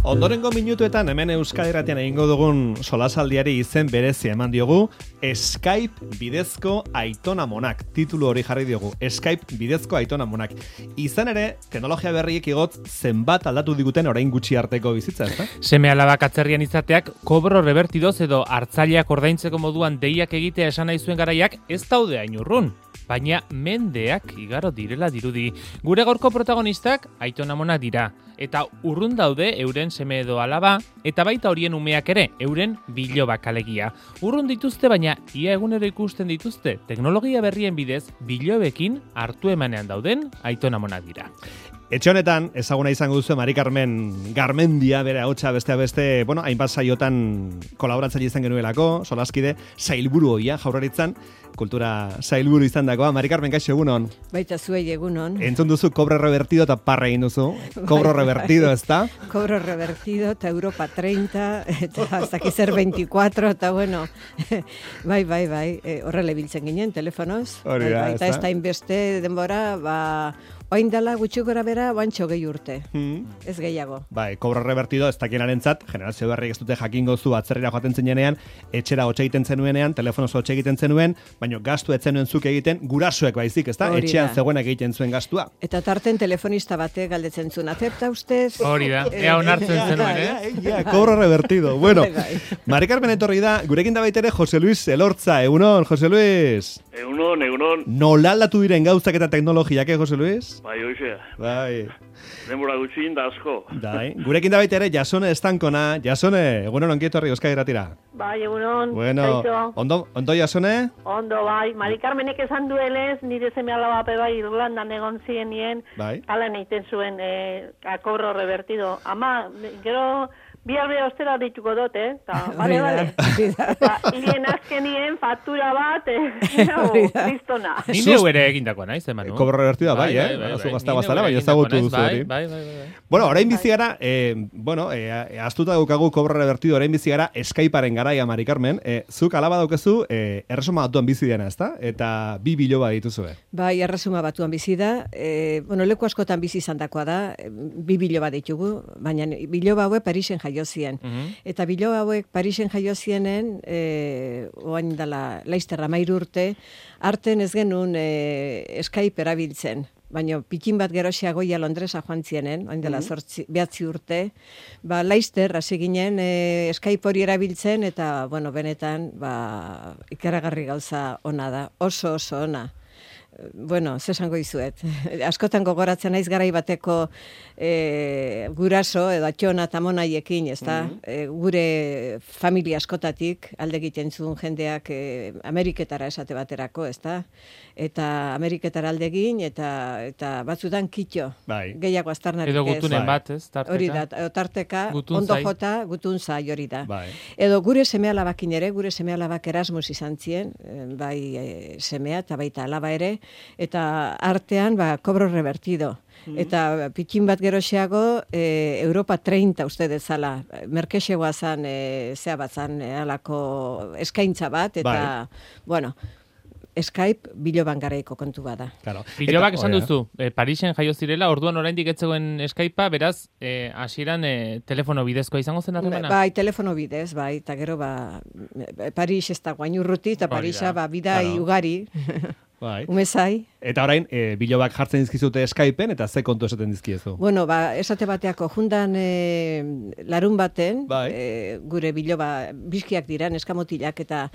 Ondorengo minutuetan hemen Euskal Irratian egingo dugun solasaldiari izen berezia eman diogu Skype bidezko aitona-amonak. Titulu hori jarri diogu, Skype bidezko aitona-amonak. Izan ere, teknologia berriek igot zenbat aldatu diguten orain gutxi arteko bizitza, ezta? Seme-alabak atzerrian izateak kobro revertidoz edo hartzaileak ordaintzeko moduan deiak egitea esan nahi zuen garaiak ez daude hain urrun. Baina mendeak igaro direla dirudi. Gure gaurko protagonistak aitona-amonak dira. Eta urrun daude euren seme edo alaba, eta baita horien umeak ere, euren bilobak alegia. Urrun dituzte, baina ia egunero ikusten dituzte, teknologia berrien bidez, bilobekin hartu emanean dauden aitona-amonak dira. Etxe honetan, ezaguna izango duzu Mari Carmen Garmendia, bere ahotsa beste, hainbat saiotan kolaboratzaile izan genuelako, solaskide, sailburu hoia Jaurlaritzan, kultura sailburu izan dagoa. Mari Carmen, kaixo, egunon? Baita zuei egunon. Entzun duzu kobro revertido eta parra egin duzu. Kobro revertido, ezta? Kobro revertido eta Europa 30, eta hasta aquí ser 24, eta bueno, bai, horrela ibiltzen ginen, telefonoz. Hori da, eta ez da inbeste denbora, oain dela gutxi gora bera, bantxo gehi urte. Ez gehiago. Bai, kobro revertido ez dakienarentzat, generazio berriek ez dute jakingo zu atzerrera joaten zenean, etxera hotxe egiten zenuenean, telefonoz hotxe egiten zenuen, baina gastu etzenuen zuk egiten, gurasoek baizik, ezta? Etxean zegoenak egiten zuen gastua. Eta tarten telefonista batek galdetzen zuen, acepta ustez? Hori da, ea onartzen zenuen, Kobro revertido. Bueno, Mari Carmen etorri da, gurekin da baitere Jose Luis Elortza. Egunon, Jose Luis. Egunon. Nola aldatu diren gauzak eta teknologiak, Jose Luis? Bai, hoizea. Bai. Denbora gutxin da asko. Bai. Gurekin da baitere Jasone Estankona. Jasone, egunon ongi etorri Euskal Irratira. Bai, egunon. Bueno, ondo Jasone? Ondo, bai. Mari Carmenek esan duelez, nire seme-alaba bai Irlandan egon zienien, bai. Hala egiten zuen kobro revertido. Ama, gero biharbe ostera dituko dut, Bale. Hien azkenien faktura bat, kristona. Nire ere egindakoa naiz, Manu. Kobro revertido, bai, Zu gazta bazara, bai, ezagutu duzu hori. Bai. Bueno, orain bizi gara, astuta daukagu kobro revertido, orain bizi gara Skypearen garaia, Mari Carmen. Zuk alaba daukezu, erresuma batuan bizi dena, ezta? Eta 2 biloba dituzue. Bai, erresuma batuan bizi da. Leku askotan bizi izandakoa da, 2 biloba ditugu, baina biloba haue Parisen jaio zien. Eta biloba hauek Parisen jaio zienen, oain dela Laster 13 urte, arten ez genuen Skype erabiltzen. Baina pikin bat geroxiagoia Londresa joan zienen, oain dela 9 urte, Laster hasi ginen Skype hori erabiltzen, eta benetan ikaragarri gauza ona da, oso ona. Bueno, zesango izuet. Askotan gogoratzen naiz garai bateko guraso edo atxona eta monaiekin, ezta? Gure familia askotatik alde egiten zuen jendeak Ameriketara esate baterako, ezta? Eta Ameriketara alde egin eta batzutan kitxo. Bai. Gehiago aztarnarik ez. Edo gutunen bat, ez? Tarteka. Hori da, tarteka, ondo jota, gutun zai hori da. Bai. Edo gure seme-alabakin ere, gure seme-alabak Erasmus izan zien, bai semea eta baita alaba ere, eta artean kobro revertido. Eta pikin bat geroxeago Europa 30 uste dezala. Merkexegoa zan, zea bat zan, alako eskaintza bat, eta, bueno, Skype biloban garaiko kontu bada. Claro. Bilobak esan duzu, Parisen jaio zirela, orduan oraindik etzegoen Skypea, beraz, hasieran telefono bidezkoa izango zen harremana? Bai, telefono bidez, bai, eta gero Paris ez da guain urruti, eta Parisa bidai ugari. Bai. Umezai. Eta orain, bilobak jartzen dizkizute Skypeen, eta ze kontu esaten dizkiezu? Bueno, esate bateako jundan larun baten, gure biloba bizkiak dira, neska motilak, eta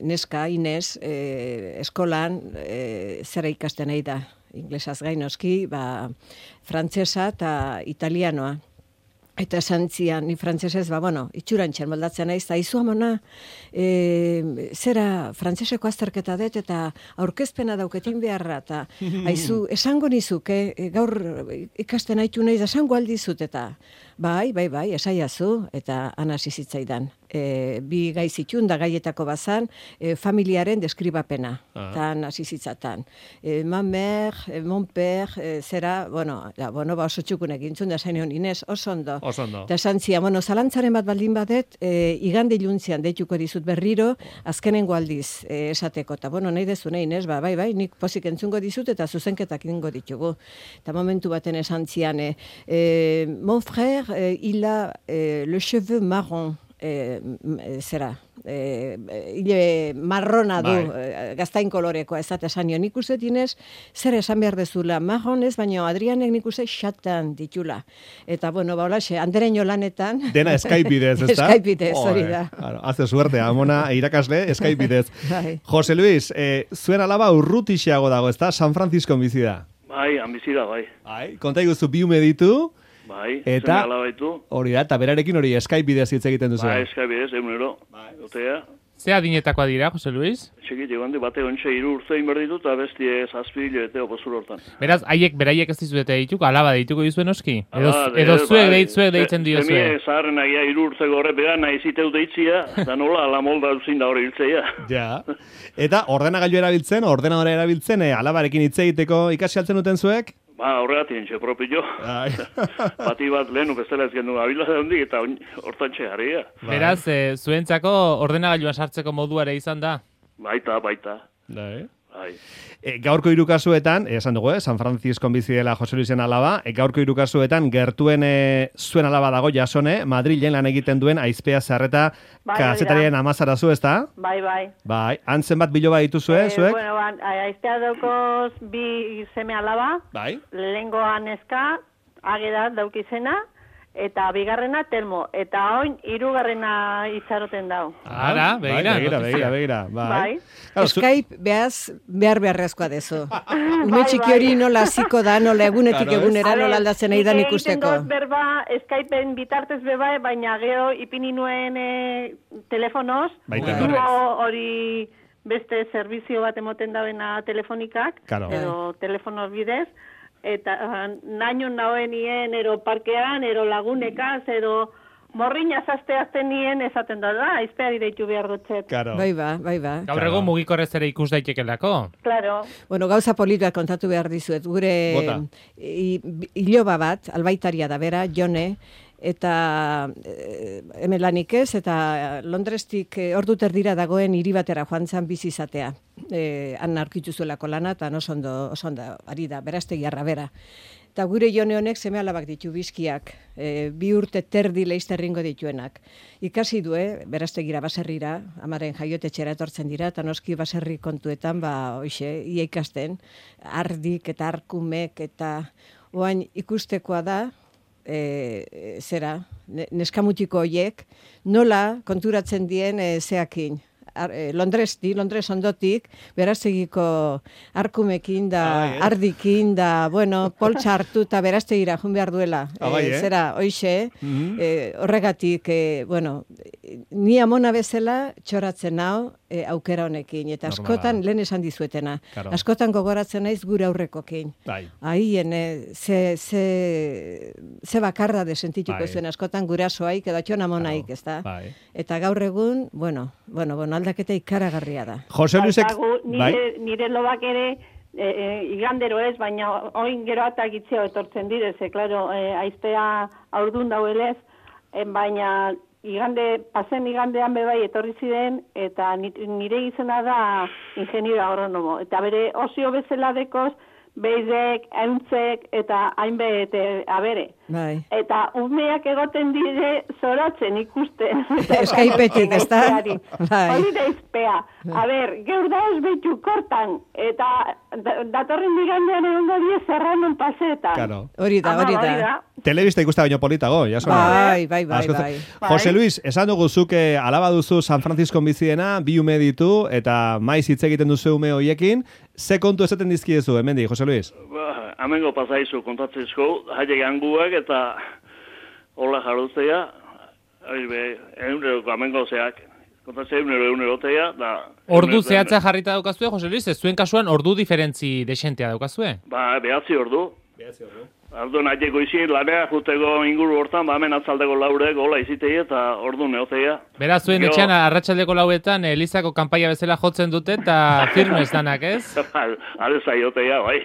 neska, Inez, eskolan zera ikasten nahi da, inglesaz gainoski, frantsesa eta italianoa. Eta esan zian, ni frantzesez, itxurantxen moldatzen naiz, eta izu amona, zera frantzeseko azterketa dut, eta aurkezpena dauketin beharra, eta aizu, esango nizuke, gaur ikasten haitu naiz, esango aldizut, eta bai, esaiazu, eta anasi zitzaidan. bi gai zitun, da gaietako bazan, familiaren deskribapena, tan hasi zitzatan. Ma mer, mon per, zera, oso txukun egintzun, da zain egon, Inez, oso ondo. Eta esan zia, zalantzaren bat baldin badet, igande iluntzian deituko dizut berriro, azkenengo aldiz esateko. Eta, nahi dezu, Inez, bai, nik pozik entzungo dizut, eta zuzenketak ingo ditugu. Eta momentu baten esan zian, mon frère, il a le cheveu marron, hile marrona du, gaztain kolorekoa, ez esan nio, nik uste dinez, zer esan behar dezula, marron ez, baina Adrianek nik uste xatan ditula. Eta, holaxe, andereño lanetan... Dena Skype bidez, ez da? Skype bidez, hori da. Haze suerte, amona irakasle, Skype bidez. Jose Luis, zuen alaba urrutixeago dago, ez da? San Francisco bizi da. Bai, ambizida, bai. Konta iguzu bi ume ditu, bai, eta hori da, eta berarekin hori Skype bidez hitz egiten duzu. Bai, Skype bidez, egunero. Otea. Ze adinetakoa dira, Jose Luis? Txekit, egon bate ontsa 3 urte inberditu, eta bestie 7 hilabete opozur hortan. Beraz, beraiek ez dizuete dituko, alaba dituko dizuen oski? Edo zuek deitzen dio zuen? Zemie zaharren agia 3 urte gorre bega nahi ziteu deitzia, eta nola ala molda duzin da hori hiltzeia. Ja. Eta ordenagailu ordenadora erabiltzen, alabarekin hitz egiteko ikasi altzen duten zuek? Horregatien, propio. Bati bat lehenu bestela ez gendu abila hondik eta hortan txegarria. Beraz, zuentzako ordenagailuan sartzeko moduare izan da? Baita. Bai. Gaurko 3 kasuetan, esan dugu, San Francisco bizi dela Jose Luisen alaba, gaurko 3 kasuetan gertuen zuen alaba dago Jasone, Madrilen lan egiten duen Aizpea Zarreta kazetarien amazarazu, ez da? Bai. Antzen bat biloba dituzue, zuek? Aizpea daukoz bi seme alaba, lehengoa neska, Ageda daukizena, eta bigarrena Telmo, eta oin 3. itxaroten dau. Ara, begira. Bai. Skype beharrezkoa dezu. Ume txiki hori nola ziko da, nola egunetik egunera nola aldatzen nahi dan ikusteko. Egiten dut berba Skypeen bitartez beba, baina geho ipini nuen telefonoz, hori beste servizio bat emoten dauena telefonikak, edo telefonoz bidez, eta naino nahoenien, ero parkean, ero lagunekaz, ero morriña zazteazten nien esaten da, Aizpea deitu behar dutzet. Bai ba. Gaur egun mugikorrez ere ikus daitekelako. Claro. Gauza polituak kontatu behar dizuet. Gure iloba bat, albaitaria da bera, Jone, eta hemen lanik ez, eta Londrestik ordu terdira dagoen hiri batera joan zan bizi izatea. Han aurkitu zuelako lana, eta oso ondo ari da, beraztegiarra bera. Eta gure Jone honek seme alabak ditu bizkiak, 2 urte terdi leizterringo dituenak. Ikasi du, beraztegira baserrira, amaren jaiotetxera etortzen dira, eta noski baserri kontuetan, ia ikasten, ardik eta arkumek, eta oain ikustekoa da, neskamutiko hoiek, nola konturatzen dien zeakin. Londres ondotik, beraztegiko arkumekin da, ardikin da, poltsa hartu eta beraztegira jun behar duela. Hoixe, horregatik, ni amona bezala txoratzen hau aukera honekin, eta askotan, lehen esan dizuetena, askotan gogoratzen naiz gure aurrekokin. Haien, ze bakarra desentituko zuen, askotan gurasoaik edo atxona monaik, ez da? Eta gaur egun, aldaketa ikaragarria da. Jose Luisek... Nire lobak ere, igandero ez, baina oin gero eta gitzeo etortzen direze, klaro, Aizpea aurdun dauelez, baina pasen igandean bebai etorri ziren, eta nire izena da ingeniero agronomo. Eta bere osio bezala dekoz, beidek, euntzek, eta hainbet abere. Eta umeak egoten dire zoratzen ikusten. Skypeetik, ez da? Hori da Aizpea. Geur da ez behitu kortan, eta datorren digandean egongo die Serranon paseetan. Hori da. Telebista ikusta baino politago, jasona. Bai. Jose Luis, esan dugu zuke alaba duzu San Francisco biziena, 2 ume ditu, eta maiz hitz egiten duzu ume hoiekin. Ze kontu esaten dizkiezu, hemendi, Jose Luis? Amengo pasaizu kontatzezko, haiek anguak eta hola jaruztea, eguneroko amengo zeak. Kontatzea egunerotea, da... Ordu zehatza jarrita daukazue, Jose Luis, ez zuen kasuan ordu diferentzi desentea daukazue? 9 ordu. Orduan aiteko izin, lanea juteko inguru hortan, hemen atzaldeko laurek, hola izitei eta orduan neoteia. Beraz, zuen etxean arratsaldeko lauetan Elizako kanpaia bezala jotzen dute eta firmes danak, ez? Hale zaioteia, bai.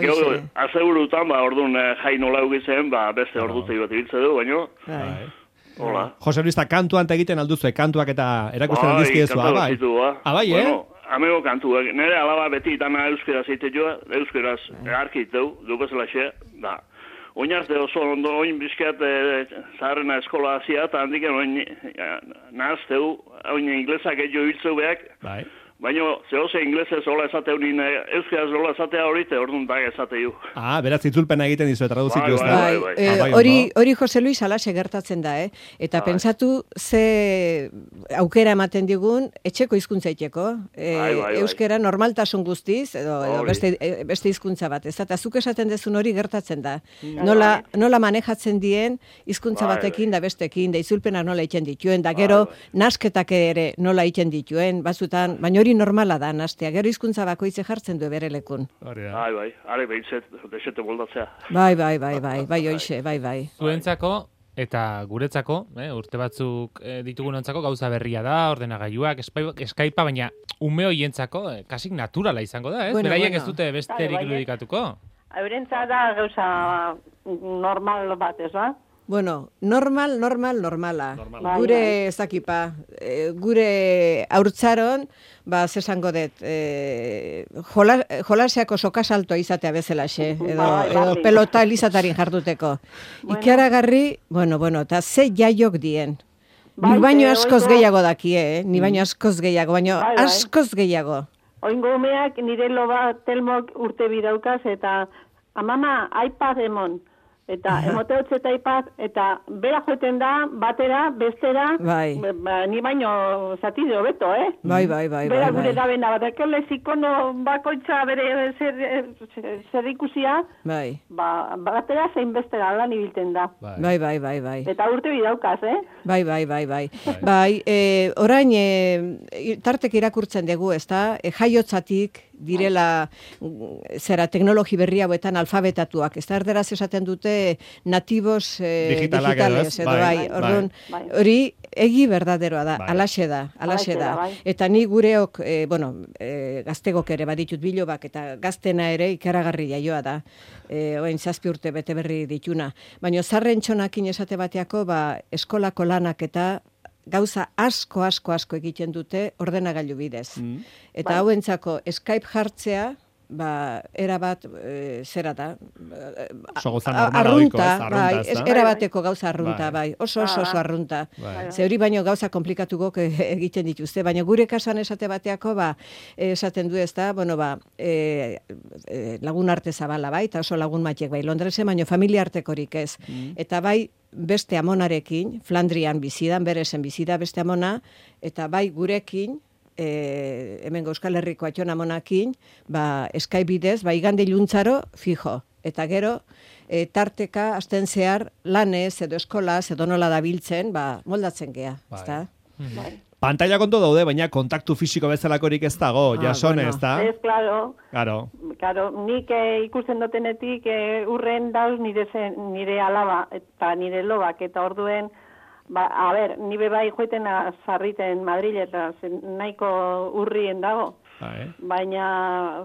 Gero, azegurutan, orduan jai nola egitzen, beste ordutei bat ibiltze du, baino. Hola. Jose Luis, kantuan egiten alduzue, kantuak eta erakusten aldizkiezu, bai? Bai, Amego kantuak, nire alaba beti dana euskera zeitetua, euskeraz arkiteu, dukazela xe, da. Oinarte oso ondo, oin bizkiat zaharrena eskola hazia, eta handiken oin nahazteu, oin inglesak egio hiltzeu behak, baina zehose inglesez hola esateu nien euskeraz hola esatea horite, orduan da esateu. Beraz itzulpena egiten dizu, traduzitu ez da. Hori Jose Luis alaxe gertatzen da, eta pentsatu ze aukera ematen digun etxeko hizkuntza iteko. Euskera normaltasun guztiz, edo beste hizkuntza bat, ez eta zuk esaten dezun hori gertatzen da. Nola manejatzen dien hizkuntza batekin da bestekin, da itzulpena nola egiten dituen, da gero nasketak ere nola egiten dituen, batzutan, baina hori normala da, nastea. Gero hizkuntza bakoitze jartzen du bere lekun. Bai, are behitzet, desete moldatzea. Bai, hoixe, bai. Zuentzako, eta guretzako, urte batzuk ditugunontzako gauza berria da, ordenagailuak, Skypea, baina ume hoientzako kasik naturala izango da, ez? Beraiek ez dute besterik irudikatuko. Eurentzat da gauza normal bat, ez ba? Bueno, normala. Gure ezakipa, gure haurtzaron, zesango dut, jolaseako sokasaltoa izatea bezalaxe, edo pelota elizatarin jarduteko. Ikaragarri, bueno, eta ze jaiok dien. Ni baino askoz gehiago dakie, baina askoz gehiago. Oingo umeak nire loba telmok urte bidaukaz, eta amama, iPad emon. Eta emoteotze eta iPad, eta bera joeten da, batera, bestera, ni baino zatiz hobeto, Bai. Bera gure da bena, bat ekele zikono bakoitza bere zer ikusia, batera zein bestera lan ibilten da. Bai. Eta urte bidaukaz, Bai. Orain, tartek irakurtzen dugu, ez da, jaiotzatik, direla teknologi berri hauetan alfabetatuak. Ez da erderaz esaten dute nativos digitales. Orduan, hori egi berdaderoa da, alaxe da. Eta ni gureok, gaztegok ere baditut bilobak, eta gaztena ere ikaragarri jaioa da. Oain 7 urte bete berri dituna. Baina zarren txonakin esate bateako, eskolako lanak eta gauza asko egiten dute ordenagailu bidez. Eta hauentzako Skype jartzea, erabat, zera da, arrunta, erabateko gauza arrunta, oso arrunta. Ze hori baino gauza komplikatugok egiten dituzte, baina gure kasuan esate bateako, esaten du ez da, lagun arte zabala, eta oso lagun matiek, Londresen, baino familia artekorik ez. Eta beste amonarekin, Flandrian bizidan, beresen bizida beste amona, eta gurekin, hemen Euskal Herriko atxon amonakin, Skype bidez, igande iluntzaro fijo. Eta gero, tarteka, asten zehar, lanez, edo eskolaz, edo nola dabiltzen, moldatzen gea. Pantalla konto daude, baina kontaktu fisiko bezalakorik ez dago, jasone, ez da? Ez, klaro. Claro, nik ikusten dutenetik urren dauz nire alaba eta nire lobak, eta orduen, ni bebai joeten zarriten Madrid eta nahiko urrien dago. Baina,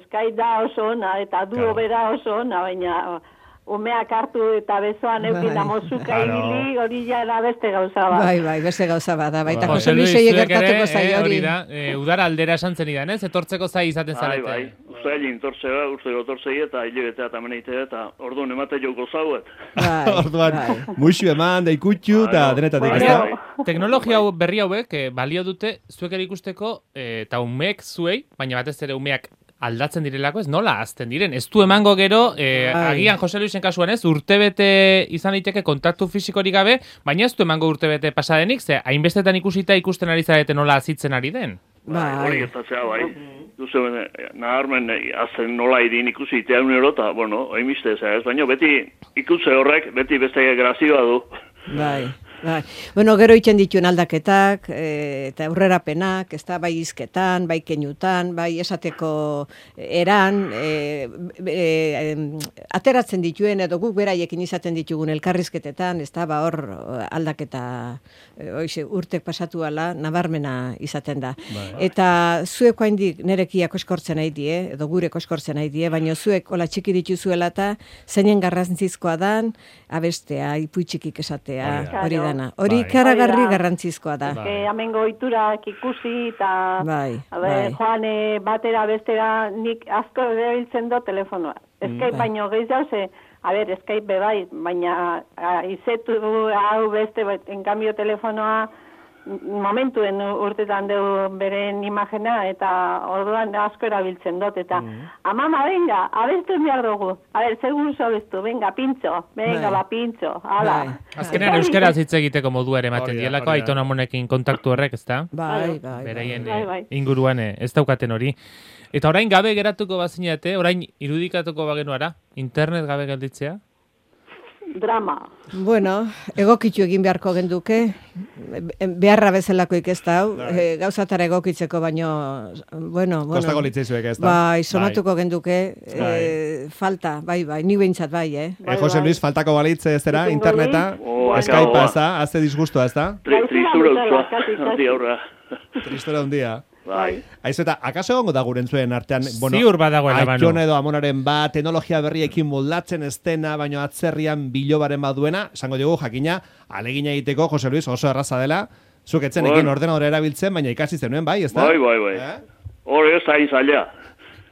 Skype da oso ona, eta duo bera oso ona, baina umeak hartu eta bezoan eukin amozuka ibili, hori jara beste gauza bat. Bai, beste gauza bat, baita Jose Luisei egertatuko zai hori. Udara aldera esan zen idan, ez? Etortzeko zai izaten zarete. Bai, uste etortzei eta hilebetea eta meneitea eta orduan emate joko zauet. Orduan, muixu eman, da ikutxu eta denetatik, ez da? Teknologia berri hauek balio dute zuek ere ikusteko eta umeek zuei, baina batez ere umeak aldatzen direlako, ez nola azten diren. Ez du emango gero, agian Jose Luisen kasuan ez, urtebete izan daiteke kontaktu fisikorik gabe, baina ez du emango urtebete pasadenik, ze hainbestetan ikusita ikusten ari zarete nola azitzen ari den. Hori gertatzea, Duze, naharmen azten nola idin ikusi itean eta, oimiste ez, baina beti ikutze horrek, beti beste grazioa du. Bai. Bueno, gero itxen dituen aldaketak, eta aurrerapenak, ez da, bai izketan, bai keinutan, bai esateko eran, ateratzen dituen, edo guk beraiekin izaten ditugun elkarrizketetan, ez da, ba hor aldaketa, urtek pasatu ala, nabarmena izaten da. Eta zuek haindik nerekia koskortzen nahi die, edo gure koskortzen nahi die, baina zuek hola txiki dituzuela eta zeinen garrantzizkoa dan, abestea, ipuitxikik esatea, hori dana. Hori karagarri garrantzizkoa da. Hemengo ohiturak ikusi eta bai. joan batera bestera nik asko erabiltzen do telefonoa. Skype baino gehiago ze, Skype bebai, baina izetu hau beste, en cambio telefonoa momentuen urtetan deu beren imagena eta orduan asko erabiltzen dut eta amama, venga, abestu behar dugu. Segur abestu, venga, pintxo, venga, ba, pintxo, hala. Azkenean euskaraz hitz egiteko modua ere ematen dielako Aitona Amonekin kontaktu horrek, ezta? Bai. Beraien inguruan ez daukaten hori. Eta orain gabe geratuko bazinate, orain irudikatuko bagenuara, internet gabe gelditzea? Drama. Bueno, egokitu egin beharko genduke, beharra bezalakoik ez da, gauzatara egokitzeko baino, bueno. Kostako litzaizuek ez da. Bai, somatuko genduke, falta, bai, ni behintzat bai, Jose Luis, faltako balitze ez dira, interneta, Skypea ez da, azte disgustua ez da? Tristura hundia. Bai. Aizu eta, akaso egongo da gurentzuen artean, ziur badagoela banu. Aiton edo Amonaren bat, teknologia berriekin moldatzen ez dena, baino atzerrian bilobaren baduena, esango dugu jakina, alegina egiteko, Jose Luis, oso erraza dela, zuk etzenekin ordenadora erabiltzen, baina ikasi zenuen, bai, ez da? Bai. Hore ez da izaila.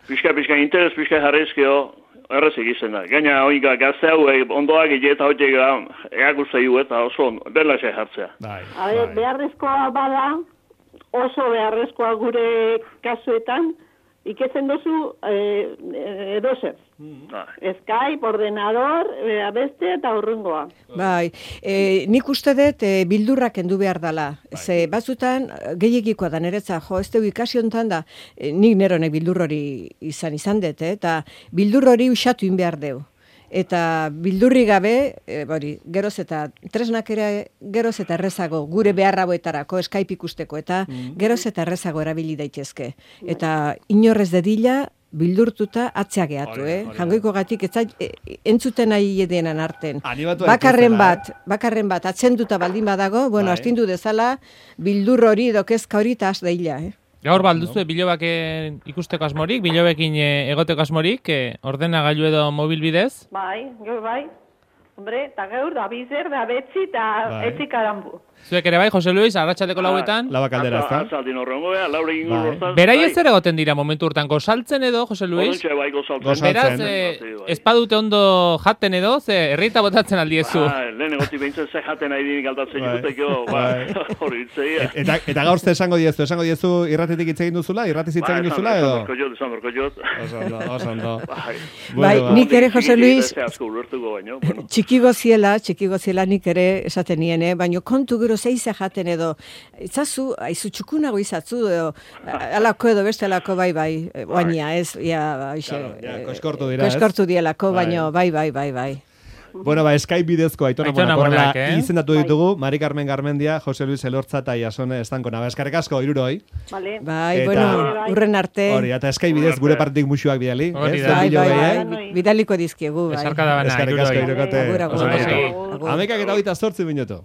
Pixka interes, pixka jarrezkeo, errez egizten da. Gaina, oinka, gazte hau, ondoak eta hoitek egakusta eta oso berla xe jartzea. Beharrezkoa bada, oso beharrezkoa gure kasuetan, iketzen dozu edozer. Skype, ordenador, beste eta urrungoa. Bai, nik uste dut bildurrak endu behar dela. Ze batzutan gehiagikoa da niretza, ez dugu ikasi hontan da, nik neronek bildur hori izan dut, eta bildur hori usatu in behar deu. Eta bildurri gabe, geroz eta tresnak ere geroz eta errezago gure beharraboetarako Skype ikusteko eta geroz eta errezago erabili daitezke. Eta inorrez dedila bildurtuta atzea gehatu, Jangoiko gatik entzuten nahi edenan arten. Bakarren bat atzenduta baldin badago, astindu dezala bildur hori dokezka hori eta az daila, Gaur balduzu bilobak ikusteko asmorik, bilobekin egoteko asmorik, ordenagailu edo mobil bidez? Bai, Hombre, eta gaur da bizer, da betzi, eta etzik arambu. Zuek ere bai, Jose Luis, arratsaldeko lauetan? Laua kaldera, ez da? Atzaldin horrengo, laure ingo lortan. Berai ez ere goten dira momentu urtan, gosaltzen edo, Jose Luis? Odontxe bai gosaltzen. Beraz, espadute ondo jaten edo, ze herrita botatzen aldiezu. Lehen egoti behintzen ze jaten nahi dinik aldatzen juteko, hori itzei. Eta gaur ze esango diezu irratetik hitz egin duzula, irratiz hitz egin duzula edo? Esan berko jot. Oso ondo. Bai, nik ere, Jose Luis, txiki goziela nik ere esaten niene, baina kontu gero zeize jaten edo, itzazu, aizu txukunago izatzu, edo, alako edo bestelako bai, baina ez, koskortu dielako, baina bai. Bueno, Skype bidezko Aitona Amonak izendatu ditugu, Mari Carmen Garmendia, Jose Luis Elortza eta Jasone Estankona. Eskerrik asko, iruroi. Bai, urren arte. Hori, eta Skype bidez gure partik musuak bidali. Bai, bidaliko dizkiegu. Esarka da bana, iruroi. Agur. 11:28 minutu.